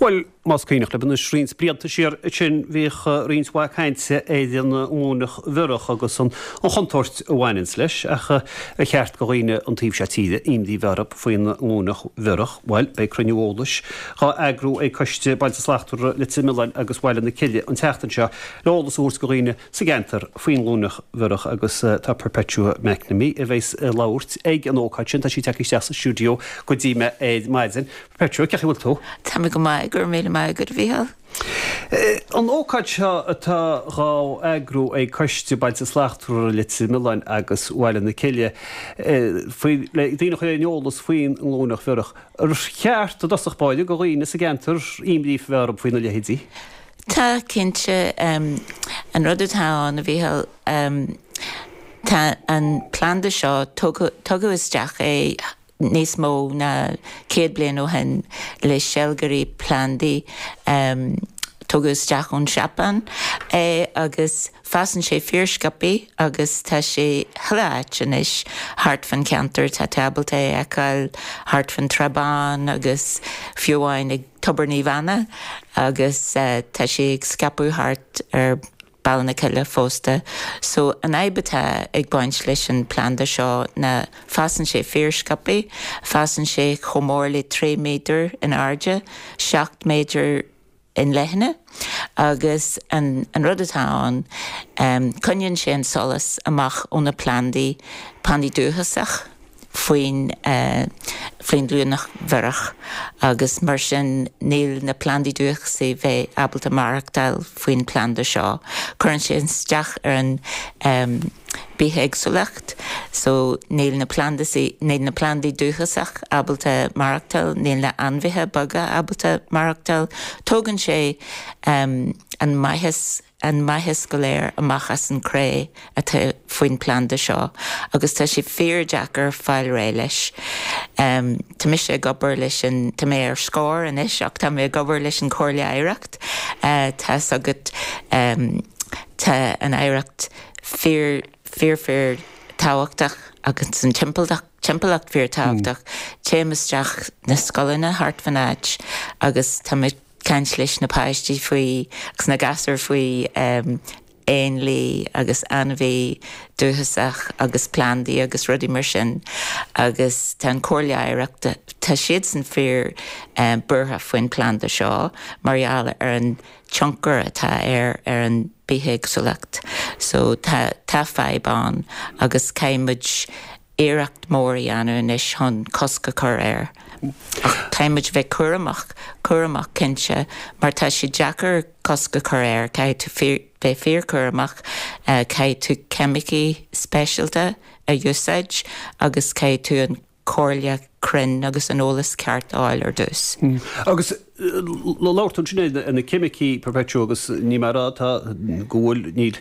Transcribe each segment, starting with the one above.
Bhuel, más cuimhneach libh anois, roinnt blianta siar ansin bhíodh roinnt mhaith cainte ar an nglúineach bhiorach agus an chontúirt a bhaineanns leis, ach ar cheart do dhaoine an taobh seo tíre imní bheith orthu faoin nglúineach bhiorach? Bhuel, beidh cruinniú eolais dhá eagrú ag Coiste Bailte Slachtmhara Leitir Mealláin agus Bhaile na Cille an tseachtain seo le eolas a thabhairt do dhaoine sa gceantar faoin nglúineach bhiorach agus tá Perpetua McNamee a bheas ag labhairt ag an ócáid sin. Tá sí tagtha isteach sa stiúideo go dtí mé ar maidin. Perpetua, cén chaoi a bhfuil tú? Tá mé go maith, go raibh míle maith agat, a Mhícheáil. An ócáid seo atá dhá eagrú ag Coiste Bailte Slachtmhara Leitir Mealláin agus Bhaile na Cille faoi le daoine a chur ar an eolas faoin nglúineach bhiorach. Ar cheart i dtosach báire do dhaoine sa gceantar imní a bheith orthu faoina leithéidí? Tá, cinnte. An rud atá ann, a Mhícheáil, tá an planda seo, tugadh isteach é níos mó ná 100 bliain ó shin le seilgirí plandaí. Tugadh isteach ón Seapáin é agus fásann sé fíorsciobthaí agus tá sé chuile áit anois thart fán cheantar. Tá tú ábalta é a fheiceáil thart fán Trá Bhán agus fiú amháin ag Tobar Naomh Anna agus tá sé ag scaipeadh thart ar Baile na Cille fosta. So an fhadhb atá ag baint leis an planda seo ná fásann sé fíorsciobthaí, fásann sé chomh mór le 3 méadar in airde, 7 méadar in leithne agus an an rud atá ann coinníonn sé an solas amach ó na plandaí, plandaí dúchasach. faoin faoin nglúineach bhiorach agus mar sin níl na plandaí dúchasaí bheith ábalta maireachtáil faoin planda seo. Cuireann sé isteach ar an bithéagsúlacht so níl na plandaí níl na plandaí dúchasach ábalta maireachtáil, níl na ainmhithe beaga ábalta maireachtáil. Tógann sé an maitheas an maitheas go léir amach as an cré atá faoin planda seo agus tá sé fíor-deacair fáil réidh leis. Tá mise ag obair leis an, tá mé ar scor anois ach tá mé ag obair leis an Chomhairle Oidhreacht. Tá's agat tá an oidhreacht fíor, fíor fíor tábhachtach agus an timpeallacht, timpeallacht fíor tábhachtach. Téim isteach na scoileanna thart fan áit agus tá mé, caint leis na páistí faoi agus na gasúir faoi éanlaith agus ainmhí dúchasach agus plandaí agus rudaí mar sin agus tá an Chomhairle Oidhreachta, tá siadsan fíor buartha faoin planda seo mar gheall ar an tionchar atá air ar an bithéagsúlacht. So tá tá fadhb ann agus caithfidh muid iarracht mór a dhéanamh anois chun cosc a chur air. Ach caithfidh muid bheith cúramach, cúramach cinnte, mar tá sé deacair cosc a chur air, caithfidh tú fíor, bheith fíorchúramach, caithfidh tú ceimicí speisialta a úsáid agus caithfidh tú an comhairle cruinn agus an eolas ceart a fháil ar dtús. Agus labhair tú ansin ar na ceimicí, Perpetua, agus ní mar atá go bhfuil, níl,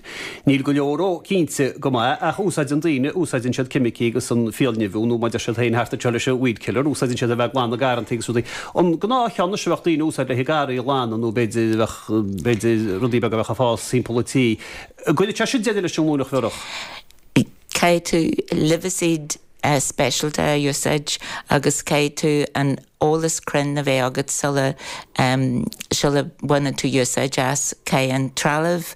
níl go leor ó cinnte go maith, ach úsáideann daoine, úsáideann siad ceimicí agus an fiailnimhiú nó mar deir siad féin thart anseo leis an weed killer, úsáideann siad a bheith ag glanadh garrantaí agus rudaí. An gnáthcheann anois a bheadh daoine a úsáid le haghaidh garraí a ghlanadh nó b'fhéidir a bheadh, b'fhéidir rudaí beaga a bheadh ag fás timpeall an tí, an gcuirfeadh sé sin deireadh leis an nglúineach bhiorach? Caithfidh tú luibhicíd speisialta a úsáid agus caithfidh tú an eolas cruinn a bheith agat sula sula bhaineann tú úsáid as. Caithfidh an trealamh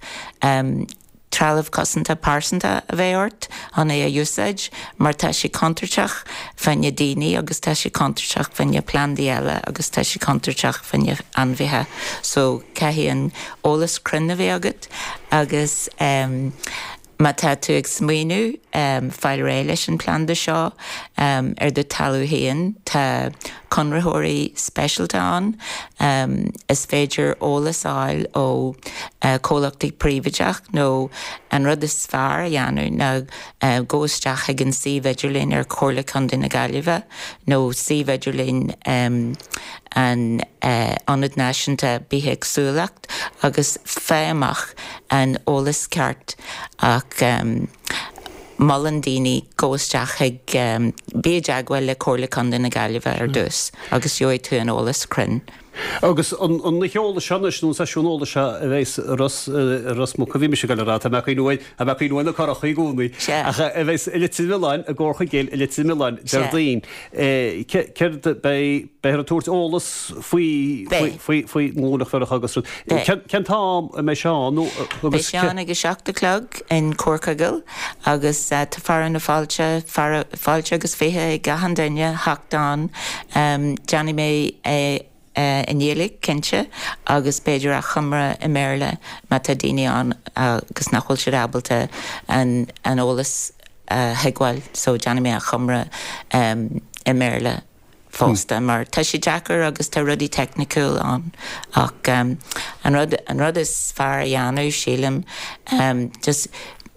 trealamh cosanta pearsanta a bheith ort chun é a úsáid mar tá sé contúirteach fá choinne daoine agus tá sé contúirteach fá choinne plandaí eile agus tá sé contúirteach fá choinne ainmhithe. So caithfidh an eolas cruinn a bheith agat agus. Má tá tú ag smaoineamh fáil réidh leis an planda seo ar do talamh féin, tá conraitheoirí speisialta ann. Is féidir eolas a fháil ó chomhlachtaí príobháideach nó an rud is fearr a dhéanamh ná gabh isteach chuig an suíomh idirlín ar Chomhairle Contae na Gaillimhe nó suíomh idirlín an Ionad Náisiúnta Bithéagsúlacht agus faigh amach an eolas ceart ach molann daoine gabh isteach chuig, bí i dteagmháil le Comhairle Contae na Gaillimhe ar dtús agus gheobhaidh tú an eolas cruinn. Agus an oíche eolais seo anois, nó an seisiún eolais seo a bheas i Ros, i Ros Muc, a bhí mise ag dul a rá, tá mé ag cuimhniú ar, tá mé ag cuimhniú ar na Curachaí i gcónaí, ach a bheas i Leitir Mealláin, i gComhar Chuigéil i Leitir Mealláin, Déardaoin. Céard, beidh, beifear ag tabhairt eolas faoi, faoi, faoi nglúineach bhiorach agus rud. Cén t-am a mbeidh sé ann nó agus. Beidh sé ann ag a 7 a chlog in Comhar Chuigéil agus tá fearadh na fáilte, fáilte agus 20 ag achan duine theacht ann. Déanfaidh mé é i nGaeilge, cinnte, agus b'fhéidir achoimre i mBéarla má tá daoine ann agus nach bhfuil siad ábalta an eolas a thuigbheáil so déanfaidh mé achoimre i mBéarla fosta mar tá sé deacair agus tá rudaí teicniciúil ann ach an rud an rud is fearr a dhéanamh sílim just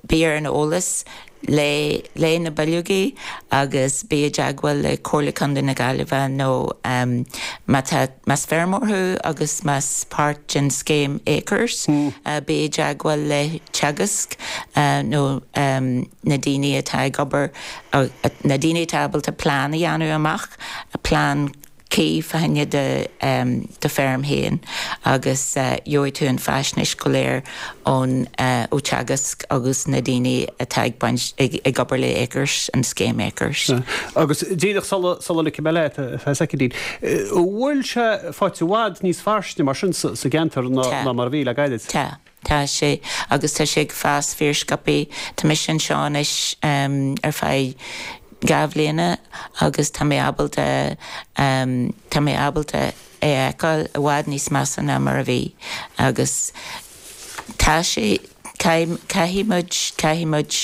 bí ar an eolas léigh léigh na bileogaí agus bí i dteagmháil le Comhairle Contae na Gaillimhe nó má tá más feirmeoir thú agus más páirt den scéim Acres bí i dteagmháil le Teagasc nó na daoine atá ag obair na daoine atá ábalta plean a dhéanamh amach, plean cuí fá choinne do do feirm féin agus gheobhaidh tú an faisnéis go léir ón ó Teagasc agus na daoine atá ag baint ag obair le Acres, an scéim Acres. Agus díreach sula sula ligfidh mé leat ar feadh soicindín, an bhfuil sé faighte i bhfad níos fairsinge mar sin sa gceantar ná mar a bhí le gairid? Tá. Tá sé, agus tá sé ag fás fíorsciobtha. Tá mise anseo anois ar feadh 2 bhliana agus tá mé ábalta, tá mé ábalta é a fheiceáil i bhfad níos measa ná mar a bhí. Agus tá sé, caithfidh muid, caithfidh muid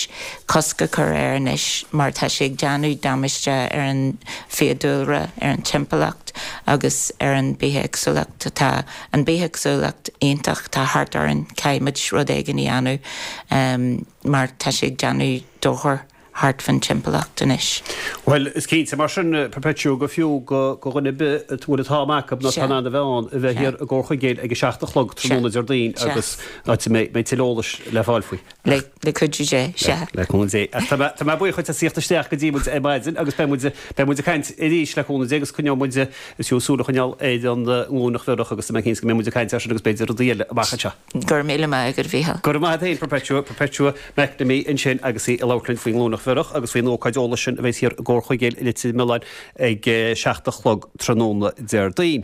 cosc a chur air anois mar tá sé ag déanamh damáiste ar an bhfiadhúlra, ar an timpeallacht agus ar an bithéagsúlacht. Tá. an bithéagsúlacht iontach atá thart orainn, caithfidh muid rud éigin a dhéanamh mar tá sé ag déanamh dochar thart fan timpeallacht anois. Bhuel, is cinnte mar sin, Perpetua, gur fiú do dhuine ar bith a bhfuil an t-am acu nó atá in ann a bheith ann, a bheith thiar i gComhar Chuigéil ag a 7 a chlog tráthnóna Déardaoin agus áit a mbeidh tuilleadh eolais le fáil faoi. Le cuidiú Dé, sea. Le cúnamh Dé. Ach tá mé, tá mé buíoch dhuit as theacht isteach go dtí muid ar maidin agus beidh muid, beidh muid ag caint arís le cúnamh Dé agus coinneoidh muid, is fiú súil a choinneáil ar an nglúineach bhiorach agus tá mé cinnte go mbeidh muid ag caint air sin agus b'fhéidir rudaí eile amach anseo. Go raibh míle maith agat, a Mhícheáil. Go raibh maith agat féin, Perpetua, Perpetua McNamee ansin agus í ag labhairt linn faoin nglúineach bhiorach agus faoin ócáid eolais sin a bheidh thiar i gComhar Chuigéil i Leitir Mealláin ag 7 a chlog tráthnóna Déardaoin.